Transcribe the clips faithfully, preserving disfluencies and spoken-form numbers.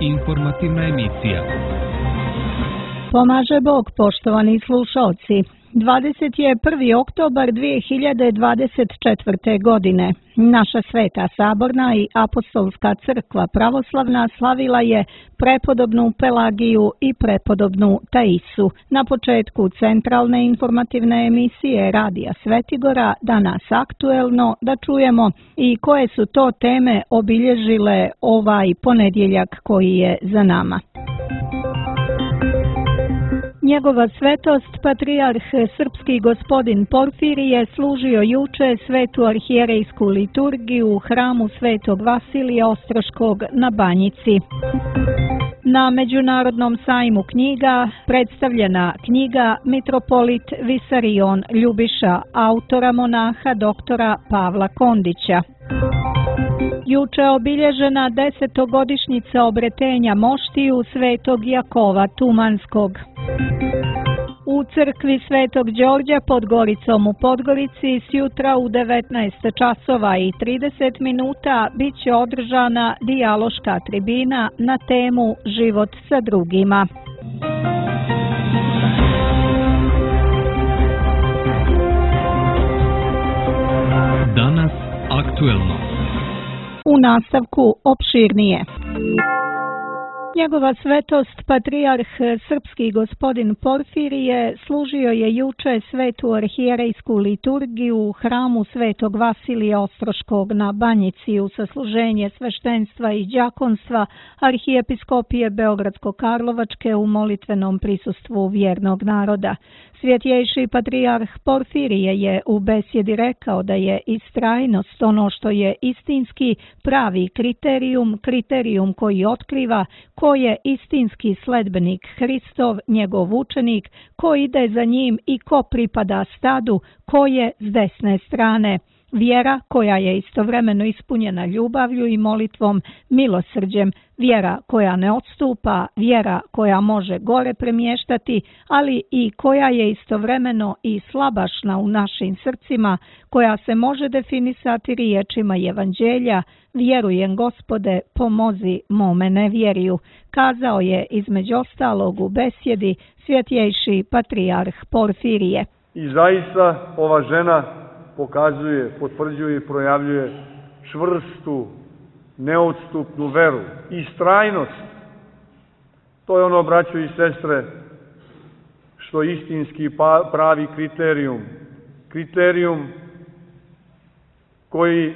Informativna emisija. Pomaže Bog, poštovani slušalci. dvadeset prvi oktobar dvije hiljade dvadeset četvrte. godine. Naša Sveta Saborna i Apostolska crkva pravoslavna slavila je prepodobnu Pelagiju i prepodobnu Taisu. Na početku centralne informativne emisije Radija Svetigora, danas aktuelno, da čujemo i koje su to teme obilježile ovaj ponedjeljak koji je za nama. Njegova svetost, patrijarh srpski gospodin Porfirije, služio juče svetu arhijerejsku liturgiju u hramu Svetog Vasilija Ostroškog na Banjici. Na Međunarodnom sajmu knjiga predstavljena knjiga Mitropolit Visarion Ljubiša, autora monaha doktora Pavla Kondića. Juče obilježena desetogodišnjica obretenja moštiju Svetog Jakova Tumanskog. U crkvi Svetog Đorđa pod Goricom u Podgorici sjutra u devetnaest časova i trideset minuta bit će održana dijaloška tribina na temu Život sa drugima. Danas aktuelno. U nastavku opširnije. Njegova svetost, patrijarh srpski gospodin Porfirije, služio je juče svetu arhijerejsku liturgiju u hramu Svetog Vasilija Ostroškog na Banjici u sasluženje sveštenstva i đakonstva Arhijepiskopije Beogradsko-Karlovačke u molitvenom prisustvu vjernog naroda. Svjetjejši patrijarh Porfirije je u besjedi rekao da je istrajnost ono što je istinski pravi kriterijum, kriterijum koji otkriva ko je istinski sledbenik Hristov, njegov učenik, ko ide za njim i ko pripada stadu, ko je s desne strane. Vjera koja je istovremeno ispunjena ljubavlju i molitvom, milosrđem, vjera koja ne odstupa, vjera koja može gore premještati, ali i koja je istovremeno i slabašna u našim srcima, koja se može definisati riječima Evanđelja: vjerujem Gospode, pomozi mome nevjeriju, kazao je između ostalog u besjedi svjetjejši patrijarh Porfirije. I zaista ova žena pokazuje, potvrđuje i projavljuje čvrstu, neodstupnu veru i istrajnost. To je ono, braćo i sestre, što je istinski pravi kriterijum. Kriterijum koji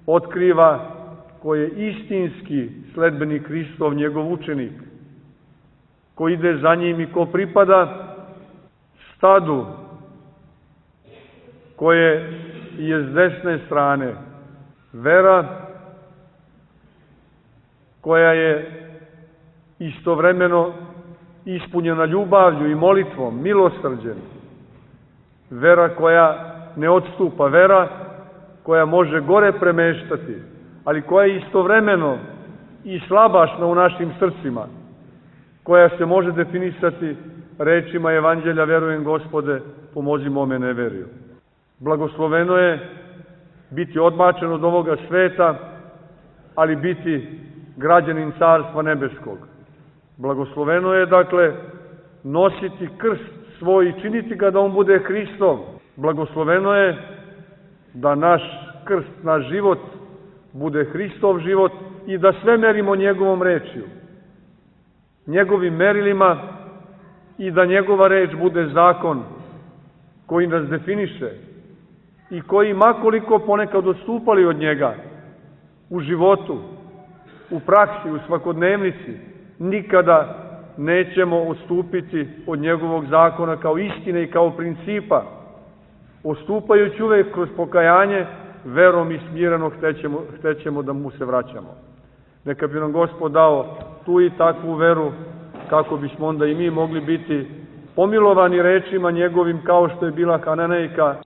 otkriva ko je istinski sledbenik Hristov, njegov učenik, ko ide za njim i ko pripada stadu koje je s desne strane. Vera koja je istovremeno ispunjena ljubavlju i molitvom, milosrđem. Vera koja ne odstupa, vera koja može gore premeštati, ali koja je istovremeno i slabašna u našim srcima, koja se može definisati rečima Evanđelja: vjerujem Gospode, pomozi mome neveriju. Blagosloveno je biti odbačen od ovoga sveta, ali biti građanin Carstva nebeskog. Blagosloveno je, dakle, nositi krst svoj i činiti ga da on bude Hristov. Blagosloveno je da naš krst, naš život bude Hristov život i da sve merimo njegovom rečju, njegovim merilima, i da njegova reč bude zakon koji nas definiše i koji, makoliko ponekad odstupali od njega u životu, u praksi, u svakodnevnici, nikada nećemo odstupiti od njegovog zakona kao istine i kao principa. Odstupajući uvek kroz pokajanje, verom i smireno hćemo, hćemo da mu se vraćamo. Neka bi nam Gospod dao tu i takvu veru, kako bismo onda i mi mogli biti pomilovani rečima njegovim, kao što je bila Kananejka.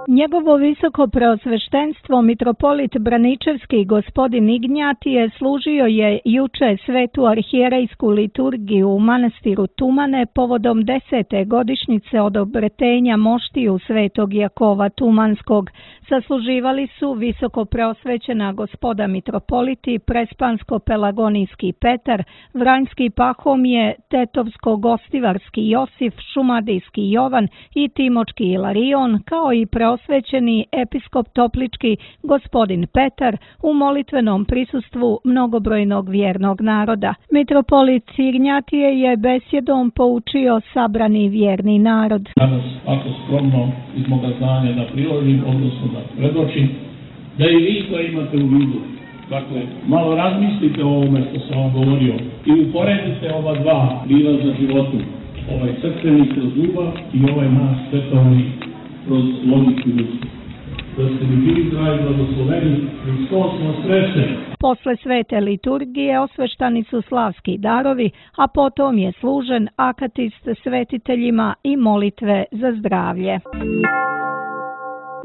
Njegovo visoko preosveštenstvo mitropolit Braničevski gospodin Ignjatije služio je juče svetu arhijerejsku liturgiju u manastiru Tumane povodom desete godišnjice od obretenja moštiju svetog Jakova Tumanskog. Sasluživali su visoko preosvećena gospoda mitropoliti Prespansko-Pelagonijski Petar, Vranjski Pahomije, Tetovsko-Gostivarski Josif, Šumadijski Jovan i Timočki Ilarion, kao i preosvećeni episkop Toplički gospodin Petar u molitvenom prisustvu mnogobrojnog vjernog naroda. Mitropolit Ignjatije je besjedom poučio sabrani vjerni narod. Danas, ako skromno iz moga znanja da priložim, odnosno da predočim, da i vi to imate u vidu. Dakle, malo razmislite o ovome što sam vam govorio i uporedite ova dva prilaza životu. Ovaj crkveni kroz ljubav i ovaj naš svetovni kroz logiku ljudstva. Da ste mi bili zdravi, blagosloveni, Hristos vas sreće. Posle svete liturgije osveštani su slavski darovi, a potom je služen akatist svetiteljima i molitve za zdravlje.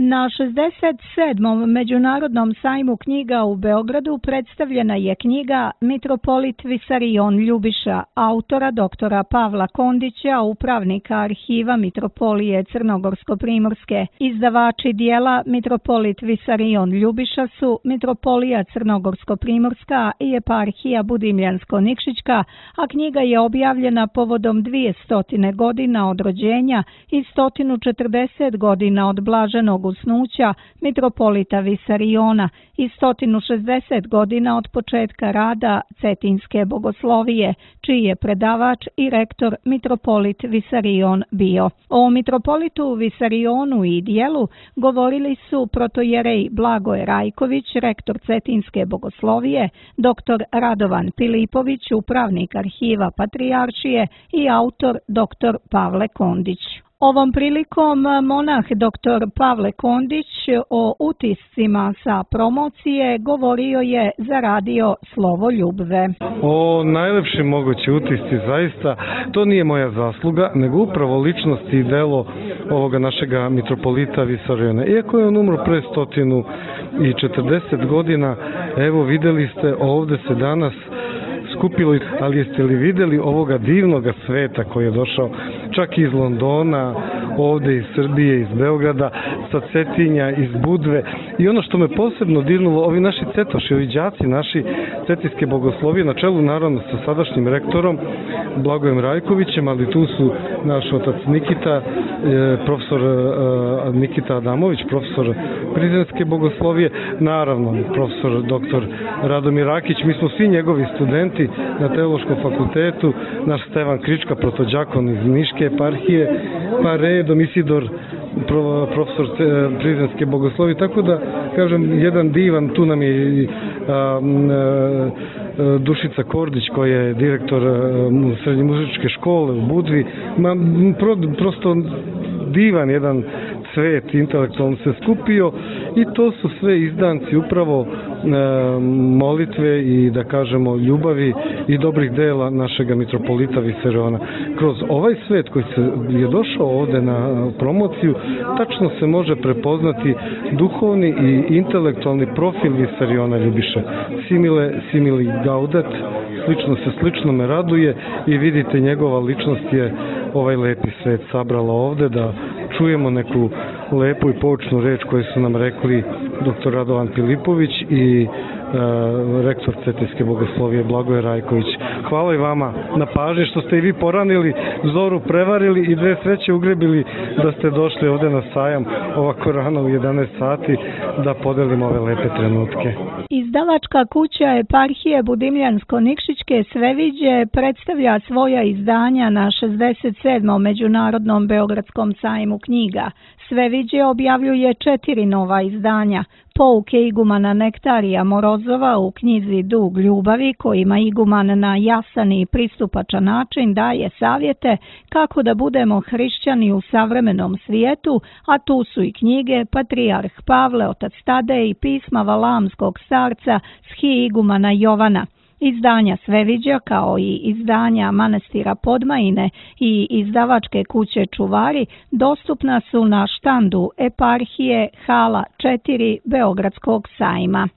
Na šezdeset sedmom Međunarodnom sajmu knjiga u Beogradu predstavljena je knjiga Mitropolit Visarion Ljubiša, autora doktora Pavla Kondića, upravnika arhiva Mitropolije Crnogorsko-Primorske. Izdavači dijela Mitropolit Visarion Ljubiša su Mitropolija Crnogorsko-Primorska i Eparhija Budimljansko-Nikšićka, a knjiga je objavljena povodom dvjesto godina od rođenja i sto četrdeset godina od blaženog usnuća mitropolita Visariona i sto šezdeset godina od početka rada Cetinske bogoslovije, čiji je predavač i rektor mitropolit Visarion bio. O mitropolitu Visarionu i dijelu govorili su protojerej Blagoje Rajković, rektor Cetinske bogoslovije, doktor Radovan Pilipović, upravnik arhiva Patrijaršije i autor doktor Pavle Kondić. Ovom prilikom monah doktor Pavle Kondić o utiscima sa promocije govorio je za radio Slovo Ljubve. O najlepši mogući utisci, zaista, to nije moja zasluga, nego upravo ličnost i delo ovoga našega mitropolita Visariona. Iako je on umro pre stotinu i četrdeset godina, evo videli ste, ovde se danas skupilo, ali jeste li vidjeli ovoga divnoga sveta koji je došao čak iz Londona, ovde iz Srbije, iz Beograda, sa Cetinja, iz Budve. I ono što me posebno dirnulo, ovi naši cetoši, ovi đaci naši Cetinske bogoslovije, na čelu naravno sa sadašnjim rektorom Blagojem Rajkovićem, ali tu su naš otac Nikita, profesor Nikita Adamović, profesor Prizrenske bogoslovije, naravno profesor doktor Radomir Rakić, mi smo svi njegovi studenti na Teološkom fakultetu, naš Stevan Krička, protođakon iz Niške eparhije, pa redom Isidor, profesor Prizrenske bogoslovije, tako da, kažem, jedan divan, tu nam je a, a, Dušica Kordić, koja je direktor srednje muzičke škole u Budvi, ma, pro, prosto divan jedan cvet intelektualno se skupio i to su sve izdanci upravo e, molitve i, da kažemo, ljubavi i dobrih dela našega mitropolita Visariona. Kroz ovaj svet koji se je došao ovde na promociju, tačno se može prepoznati duhovni i intelektualni profil Visariona Ljubiša. Simile, simili gaudet, slično se slično me raduje i vidite, njegova ličnost je ovaj lepi svet sabrala ovde da čujemo neku lepu i poučnu reč koju su nam rekli doktor Radovan Pilipović i e, rektor Cetinske bogoslovije Blagoje Rajković. Hvala i vama na pažnji što ste i vi poranili, zoru prevarili i dve sveće ugrebili da ste došli ovde na sajam ovako rano u jedanaest sati da podelimo ove lepe trenutke. Izdavačka kuća Eparhije Budimljansko-Nikšićke Sveviđe predstavlja svoja izdanja na šezdeset sedmom Međunarodnom Beogradskom sajmu knjiga. Sveviđe objavljuje četiri nova izdanja. Pouke igumana Nektarija Morozova u knjizi Dug ljubavi, kojima iguman na jasan i pristupačan način daje savjete kako da budemo hrišćani u savremenom svijetu, a tu su i knjige Patrijarh Pavle, otac Tadej i pisma Valamskog starca Shi igumana Jovana. Izdanja Sveviđa kao i izdanja Manastira Podmajine i izdavačke kuće Čuvari dostupna su na štandu Eparhije hala četiri Beogradskog sajma.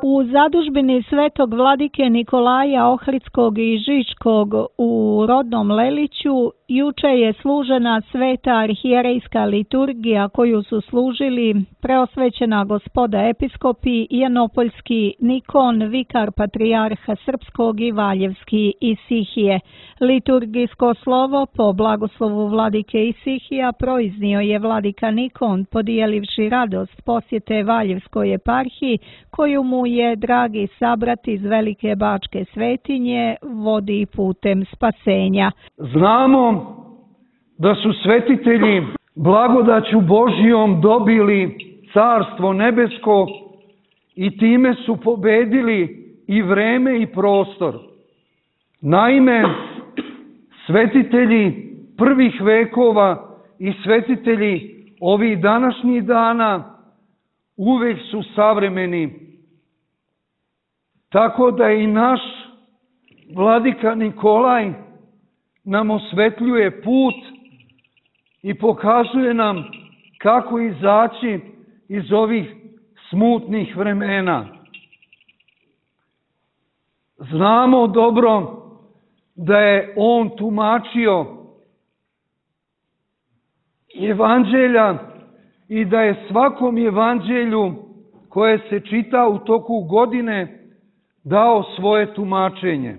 U zadužbini Svetog vladike Nikolaja Ohridskog i Žičkog u rodnom Leliću juče je služena sveta arhijerejska liturgija koju su služili preosvećena gospoda episkopi Janopoljski Nikon, vikar patrijarha Srpskog i Valjevski Isihije. Liturgijsko slovo po blagoslovu vladike Isihija proiznio je vladika Nikon, podijelivši radost posjete Valjevskoj eparhiji koju mu je dragi sabrat iz Velike Bačke svetinje vodi putem spasenja. Znamo da su svetitelji blagodaću Božijom dobili carstvo nebesko i time su pobedili i vreme i prostor. Naime, svetitelji prvih vekova i svetitelji ovih današnjih dana uvek su savremeni. Tako da i naš vladika Nikolaj nam osvetljuje put i pokazuje nam kako izaći iz ovih smutnih vremena. Znamo dobro da je on tumačio evanđelja i da je svakom evanđelju koje se čita u toku godine dao svoje tumačenje.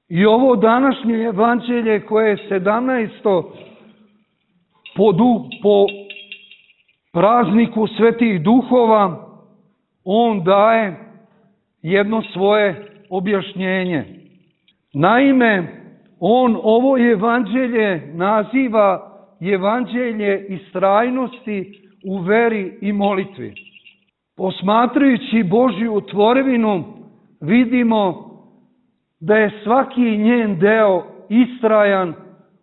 I ovo današnje evanđelje koje je sedamnaesto po, du, po prazniku svetih duhova, on daje jedno svoje objašnjenje. Naime, on ovo evanđelje naziva evanđelje istrajnosti u veri i molitvi. Posmatrajući Božju tvorevinu, vidimo da je svaki njen deo istrajan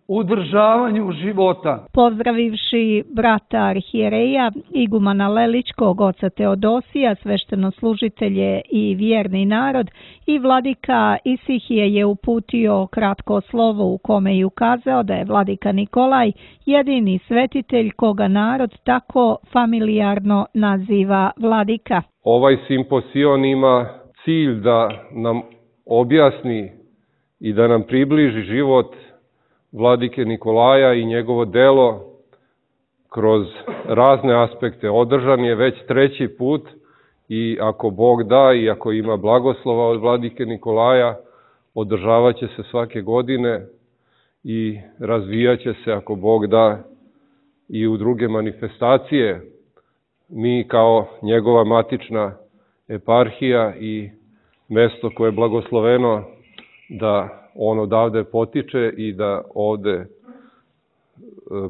u održavanju života. Pozdravivši brata arhijereja, igumana Lelićkog, oca Teodosija, sveštenoslужitelje i vjerni narod, i vladika Isihije je uputio kratko slovo u kome je ukazao da je vladika Nikolaj jedini svetitelj koga narod tako familijarno naziva vladika. Ovaj simposion ima cilj da nam objasni i da nam približi život vladike Nikolaja i njegovo delo kroz razne aspekte. Održan je već treći put i ako Bog da i ako ima blagoslova od vladike Nikolaja, održavat će se svake godine i razvijat će se ako Bog da i u druge manifestacije. Mi kao njegova matična eparhija i mesto koje je blagosloveno da on odavde potiče i da ovde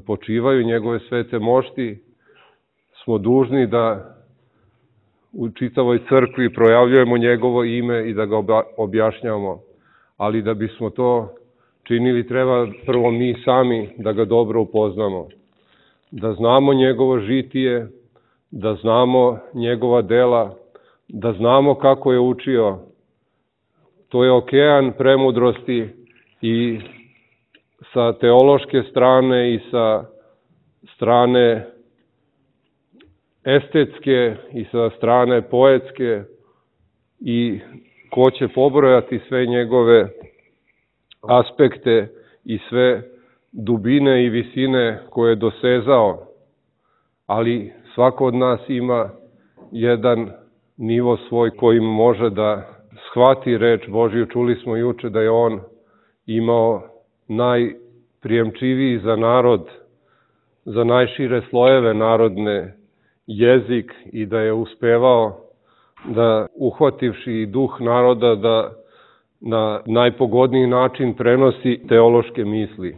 počivaju njegove svete mošti, smo dužni da u čitavoj crkvi projavljujemo njegovo ime i da ga objašnjavamo. Ali da bismo to činili, treba prvo mi sami da ga dobro upoznamo. Da znamo njegovo žitije, da znamo njegova dela, da znamo kako je učio. To je okean premudrosti i sa teološke strane i sa strane estetske i sa strane poetske, i ko će pobrojati sve njegove aspekte i sve dubine i visine koje je dosezao, ali svako od nas ima jedan nivo svoj kojim može da shvati reč Božju. Čuli smo juče da je on imao najprijemčiviji za narod, za najšire slojeve narodne jezik i da je uspevao da, uhvativši duh naroda, da na najpogodniji način prenosi teološke misli.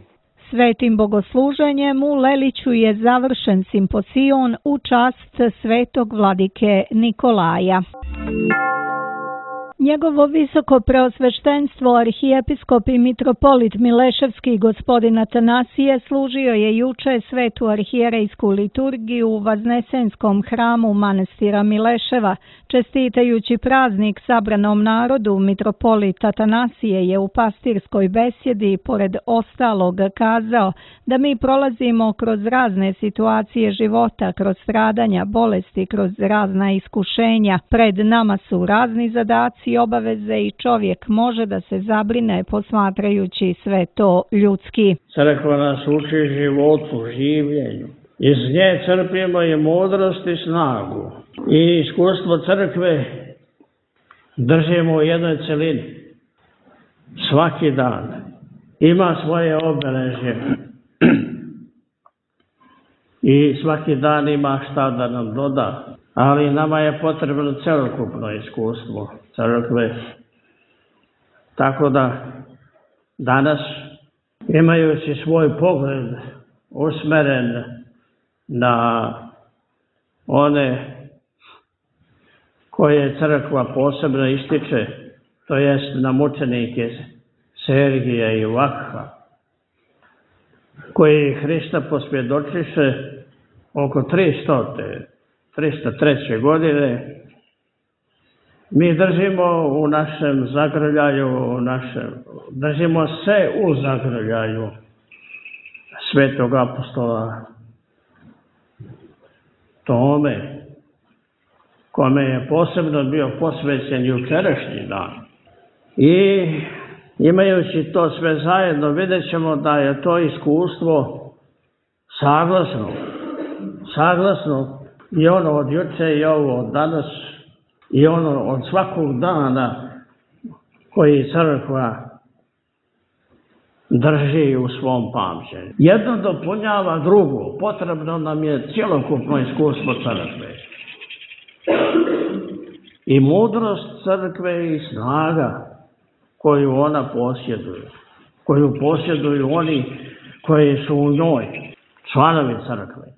Svetim bogosluženjem u Leliću je završen simposion u čast svetog vladike Nikolaja. Njegovo visoko preosveštenstvo arhijepiskop i mitropolit Mileševski gospodin Atanasije služio je juče svetu arhijerejsku liturgiju u Vaznesenskom hramu manastira Mileševa. Čestitajući praznik sabranom narodu, mitropolit Atanasije je u pastirskoj besjedi pored ostalog kazao da mi prolazimo kroz razne situacije života, kroz stradanja, bolesti, kroz razna iskušenja. Pred nama su razni zadaci i obaveze i čovjek može da se zabrine posmatrajući sve to ljudski. Crkva nas uči životu, življenju. Iz nje crpimo i mudrost i snagu. I iskustvo crkve držimo u jednoj celini. Svaki dan ima svoje obeležje. I svaki dan ima šta da nam doda. Ali nama je potrebno celokupno iskustvo crkve. Tako da danas, imajući svoj pogled usmeren na one koje crkva posebno ističe, to jest na mučenike Sergija i Vakha, koji Hrista pospjedočiše oko tristo treće godine, mi držimo u našem zagrljaju, u našem, držimo se u zagrljaju svetog apostola Tome, kome je posebno bio posvećen jučerašnji dan. I imajući to sve zajedno, vidjet ćemo da je to iskustvo saglasno, saglasno i ono od juče i ovo od danas i ono od svakog dana koji crkva drži u svom pamćenju. Jedno dopunjava drugo, potrebno nam je cjelokupno iskustvo crkve. I mudrost crkve i snaga koju ona posjeduje, koju posjeduju oni koji su u njoj, članovi crkve.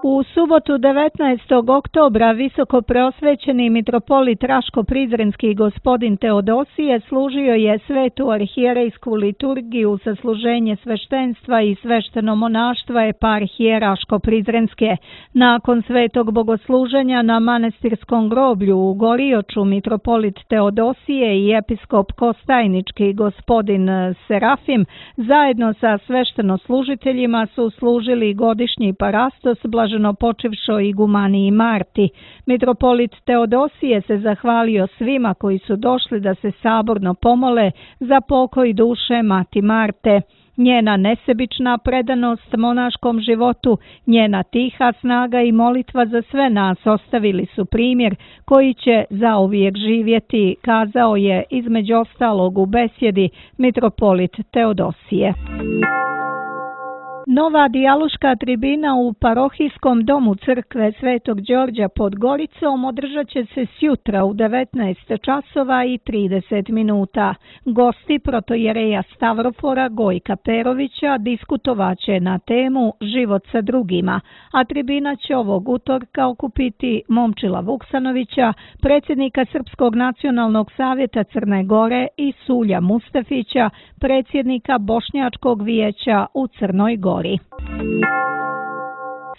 U subotu devetnaestog oktobra visoko preosvećeni mitropolit Raško-Prizrenski gospodin Teodosije služio je svetu arhijerejsku liturgiju sa služenje sveštenstva i svešteno monaštva eparhije Raško-Prizrenske. Nakon svetog bogosluženja na manastirskom groblju u Gorioču mitropolit Teodosije i episkop Kostajnički gospodin Serafim zajedno sa svešteno-služiteljima su služili godišnji parastos blaženo počivšo igumaniji Marti. Mitropolit Teodosije se zahvalio svima koji su došli da se saborno pomole za pokoj duše Mati Marte. Njena nesebična predanost monaškom životu, njena tiha snaga i molitva za sve nas ostavili su primjer koji će zauvijek živjeti, kazao je između ostalog u besjedi mitropolit Teodosije. Nova dijaloška tribina u parohijskom domu crkve Svetog Đorđa pod Goricom održat će se sjutra u devetnaest časova i trideset minuta. Gosti protojereja Stavrofora Gojka Perovića diskutovaće na temu Život sa drugima, a tribina će ovog utorka okupiti Momčila Vuksanovića, predsjednika Srpskog nacionalnog savjeta Crne Gore i Sulja Mustafića, predsjednika Bošnjačkog vijeća u Crnoj Gori.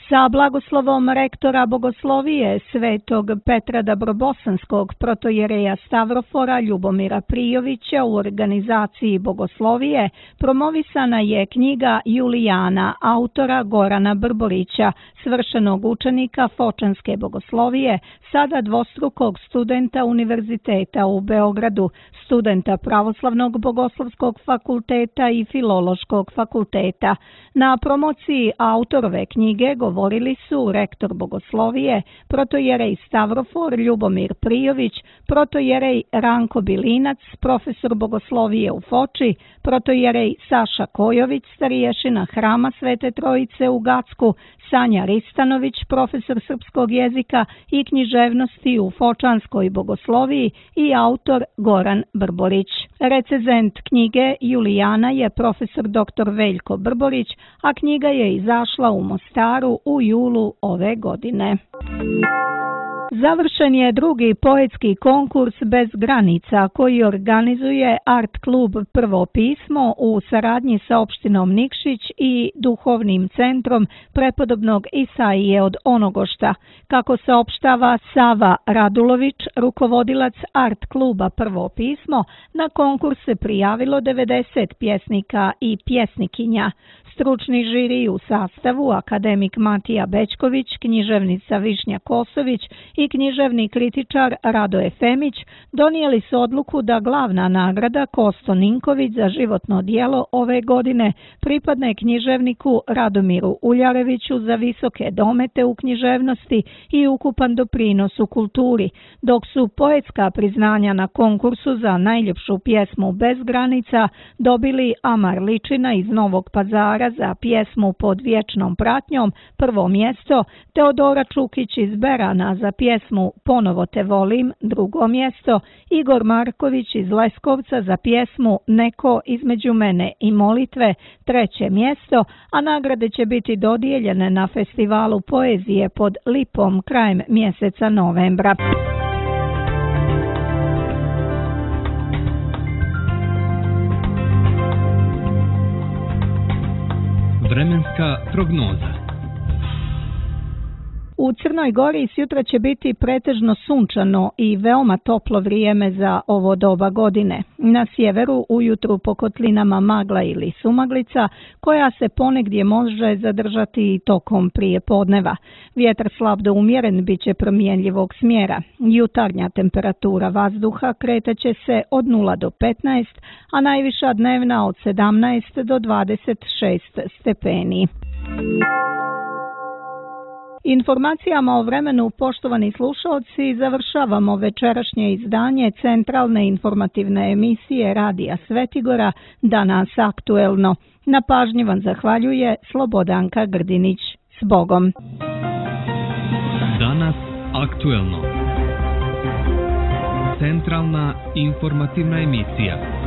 Sa blagoslovom rektora bogoslovije Svetog Petra Dabrobosanskog protojereja Stavrofora Ljubomira Prijovića u organizaciji bogoslovije promovisana je knjiga Julijana autora Gorana Brborića, svršenog učenika Fočanske bogoslovije, sada dvostrukog studenta Univerziteta u Beogradu, studenta Pravoslavnog bogoslovskog fakulteta i Filološkog fakulteta. Na promociji autorove knjige govorili su rektor bogoslovije, protojerej Stavrofor Ljubomir Prijović, protojerej Ranko Bilinac, profesor bogoslovije u Foči, protojerej Saša Kojović, stariješina Hrama Svete Trojice u Gacku, Sanja Ristanović, profesor srpskog jezika i književnosti u Fočanskoj bogosloviji i autor Goran Brborić. Recezent knjige Julijana je profesor doktor Veljko Brborić, a knjiga je izašla u Mostaru u julu ove godine. Završen je drugi poetski konkurs Bez granica koji organizuje Art klub Prvo pismo u saradnji sa opštinom Nikšić i duhovnim centrom prepodobnog Isaije od Onogošta. Kako saopštava Sava Radulović, rukovodilac Art kluba Prvo pismo, na konkurs se prijavilo devedeset pjesnika i pjesnikinja. Stručni žiri u sastavu akademik Matija Bećković, književnica Višnja Kosović i književni kritičar Radoje Femić donijeli su odluku da glavna nagrada Kosto Ninković za životno dijelo ove godine pripadne književniku Radomiru Uljareviću za visoke domete u književnosti i ukupan doprinos u kulturi, dok su poetska priznanja na konkursu za najljepšu pjesmu Bez granica dobili Amar Ličina iz Novog Pazara za pjesmu Pod vječnom pratnjom, prvo mjesto, Teodora Čukić iz Berana za pjesmu Ponovo te volim, drugo mjesto, Igor Marković iz Leskovca za pjesmu Neko između mene i molitve, treće mjesto, a nagrade će biti dodijeljene na festivalu poezije pod Lipom krajem mjeseca novembra. Vremenska prognoza. U Crnoj Gori sjutra će biti pretežno sunčano i veoma toplo vrijeme za ovo doba godine. Na sjeveru ujutru po kotlinama magla ili sumaglica, koja se ponegdje može zadržati i tokom prije podneva. Vjetar slab do umjeren bit će promjenljivog smjera. Jutarnja temperatura vazduha kretaće se od nula do petnaest, a najviša dnevna od sedamnaest do dvadeset šest stepeni. Informacijama o vremenu, poštovani slušalci, završavamo večerašnje izdanje centralne informativne emisije Radija Svetigora Danas aktuelno. Na pažnji vam zahvaljuje Slobodanka Grdinić. S Bogom! Danas aktuelno. Centralna informativna emisija.